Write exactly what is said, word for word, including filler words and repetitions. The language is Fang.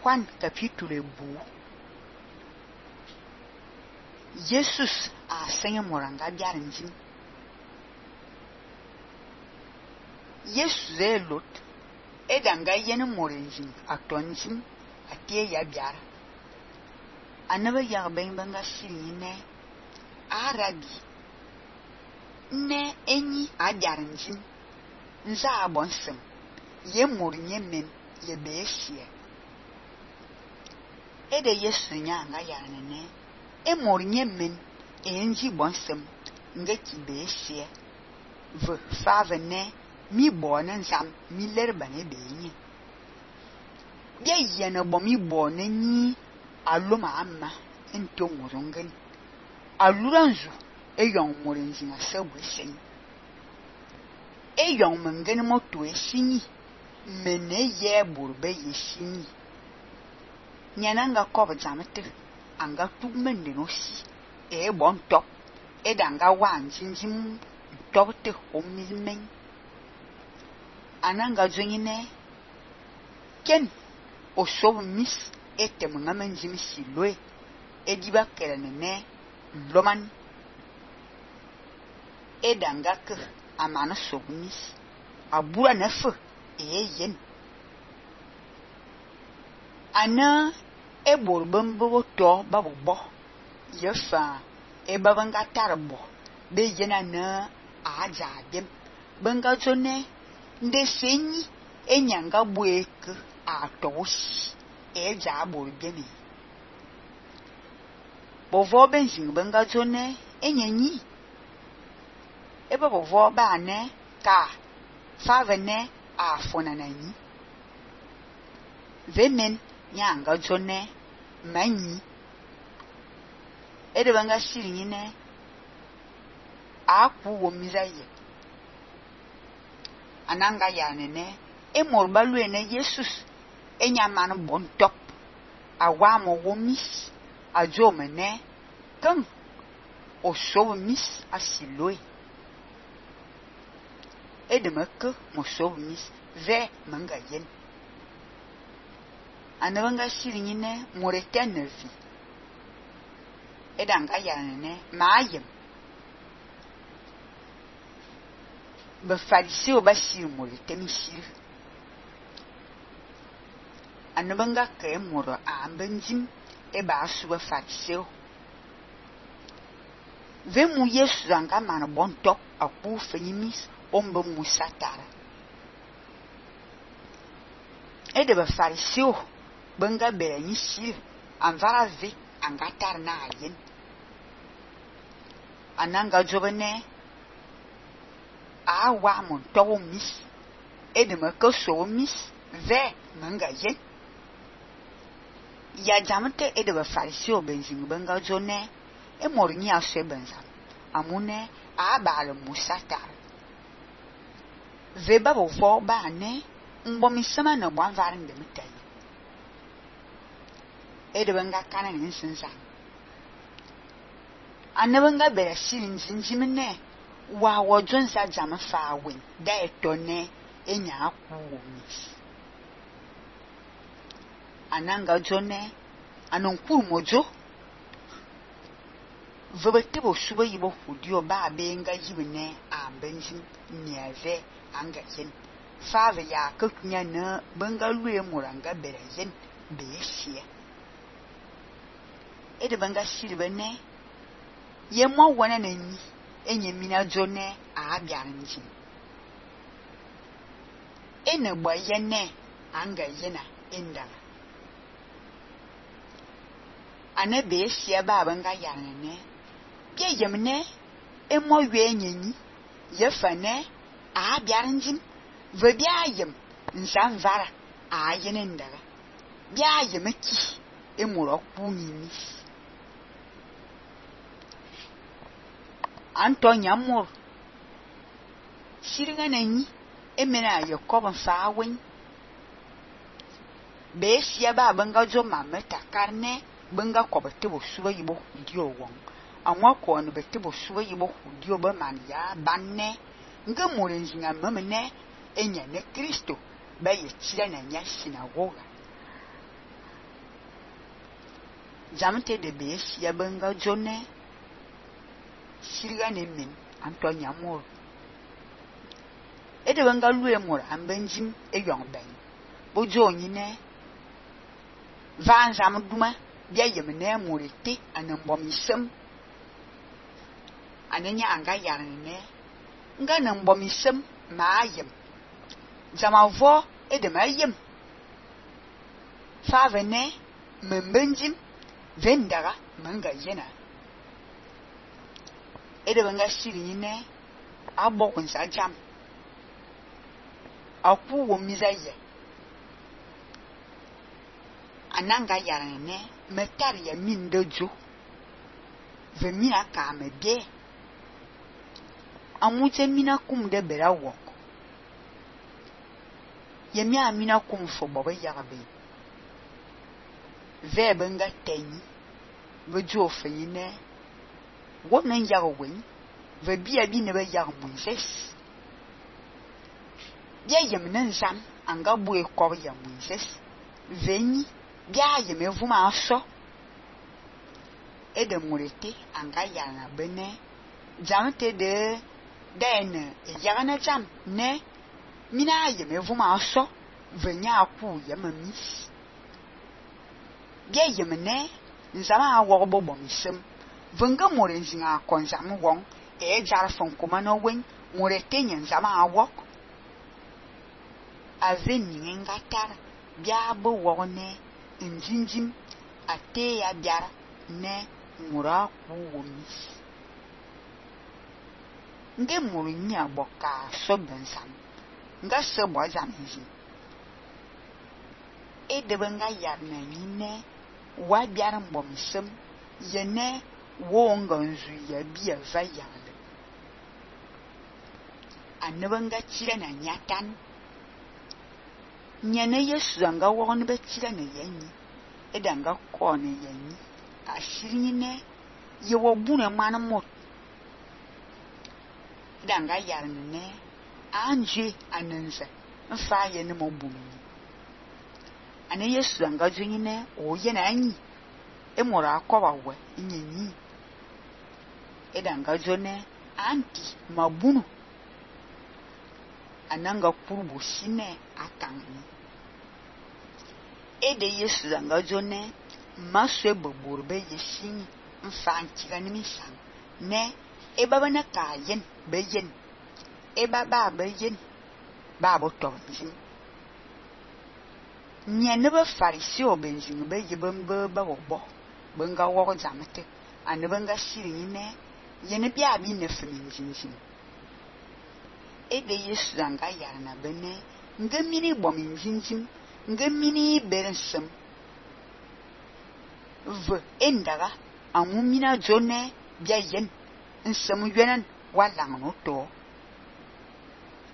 Juan capítulo bu. Jesus a senha moranga biaranjim. Jesus é lot. E danga yene moranjim a tonjim a tie ya biara. Anaba ya ben banga shirine arabi. Ne enyi a biaranjim. Nza abonsem. Ye morinye men ye beeshie. E de Yesu nyanga yanene. E morinye men enji bonsem nge ki beeshie. Ve fave ne mi bo na nzam mi lerba ne benyi. Bia yene bo mi bo ne ni aluma amma ento morongen. Aluranzu e yon morenzi na sebwe sen. E yon mengen moto e sini. Mene ye burbe ye sini. Nyananga kob zamete anga tugmende no si. E bon top. E danga wan jinjim top te homilmen. Ananga zonyine ken osob mis ete mungamen jimi silwe. E diba kerenene loman. E danga ke amana sob mis. Abura nefe e yen. Ana e borbembo to babu bo. Yefa e babanga tarbo. Be yena na aja dem. Banga zone nde senyi e nyanga bueke a toshi. E ja borbemi. Bovo benjing banga zone e nyenyi. E babo ba ne ka fave ne a fonanani. Vemen nyanga zone manyi. E de banga shiringine a ku wo mizaye. Ananga yanene e morbalu ene Jesus e nyamana bon top. A wamo wo mis a jomene kan o so mis a siloe. E de meke mo so mis ve manga yen. Anabanga shiringine morete nevi. E danga yanene maayem. Be fariseo ba shir morete mi shir. Anabanga ke moro ambenjim e ba asu be fariseo. Ve mu Yesu zanga mana bon top a ku fenyimis ombe musatara. E de be fariseo benga bere ni shir anvara ve angatar na ayen. Ananga jobene a wa mon towo mis e de me ke so mis ve manga yen. Ya jamte e de be fariseo benzing benga jone e morni ashe benza amune a bale musatar. Ve babo vo ba ne mbo mi sama na bwan varin de mutay. E de benga kana ni sinsa. Anabanga bere shirin jinjimene wa wojon sa jama fa wen da etone enya aku mis. Ananga jone anonku mojo vebete bo suba yibo hudio ba benga yibene ambenjim niave anga yen. Fave ya kakunya na benga luye muranga bere yen beeshie. E de benga shiribene ye mo wana na ni enye mina jone a biaranjim. E ne gba yene anga yena indala. Ane beeshie ba benga yanene bia yemne e mo we nyenyi ye fane a biaranjim ve bia yem nsan vara a yene ndala. Bia yemeki e muro ku nyimi. Antonya mur shiringa nanyi emena yakob fa wen be sia ba banga jo mameta karne banga kobete bo suba yibo dio won anwa ko no bete bo suba yibo dio ba man ya banne nga murenzinga mamene enya ne Kristo ba ye tira na nya sinagoga Jamte de bes ya benga jone sirga ne men Antonia mor. E de benga lue mor ambenjim e yong ben. Bo joni ne van jam duma bia yemne morite anambom isem. Anenya anga yarne nga nambom isem ma yem. Jamavo e de ma yem. Fa vene membenjim vendara manga yena. Ede benga siri ne abok nsa jam. Aku wo mizaye. Ananga yarane metari ya min dojo. Ve mina ka me bie. Amute mina kum de bera wok. Yemi amina kum fo bobe yarabe. Ve benga tenyi. Ve jo fe yine. Women Yarwin, the beer be never young Moses. Bia yam zam, and gabwe coria Moses. Veni, bia yam evuma so. Edemurete, and Gayana bene, jamte de den, Yarana jam, ne, mina yam evuma so, venia pu yam miss. Bia yam ne, Zama warbo bomism. Venga morenzinga konzam wong e jar fon komano wen moretenyen zama awok aveni ngatar bia bo wone injinjim ate ya biara ne mura ku womis nge murinya boka so bensam nga se bo zamji e de benga yarna nyine wa biara mbomsem yene wonga nzu ya biya vayale anabanga chira na nyatan nyane yesu anga woni be chira na yanyi edanga ko ne yanyi ashiri ne ye wo bune mana mot edanga yarne ne anje ananza mfa ye ne mo bunu ane yesu anga junyi ne o ye na anyi e mora akoba we nyenyi edanga jone anti mabunu ananga kurbu sine atangi ede yesu zanga jone maswe boburbe yeshin mfanchi ganimi san ne e baba na kayen beyen e baba beyen babo tonjin nyene ba farisi obenjin be yebembe ba wobo benga wo jamete anabenga shiri ne yene bia bi ne fminjinjin ede yesu anga yarna bene ngamini bominjinjin ngamini berensem v endaga amumina jone bia yen nsem yenan walang no to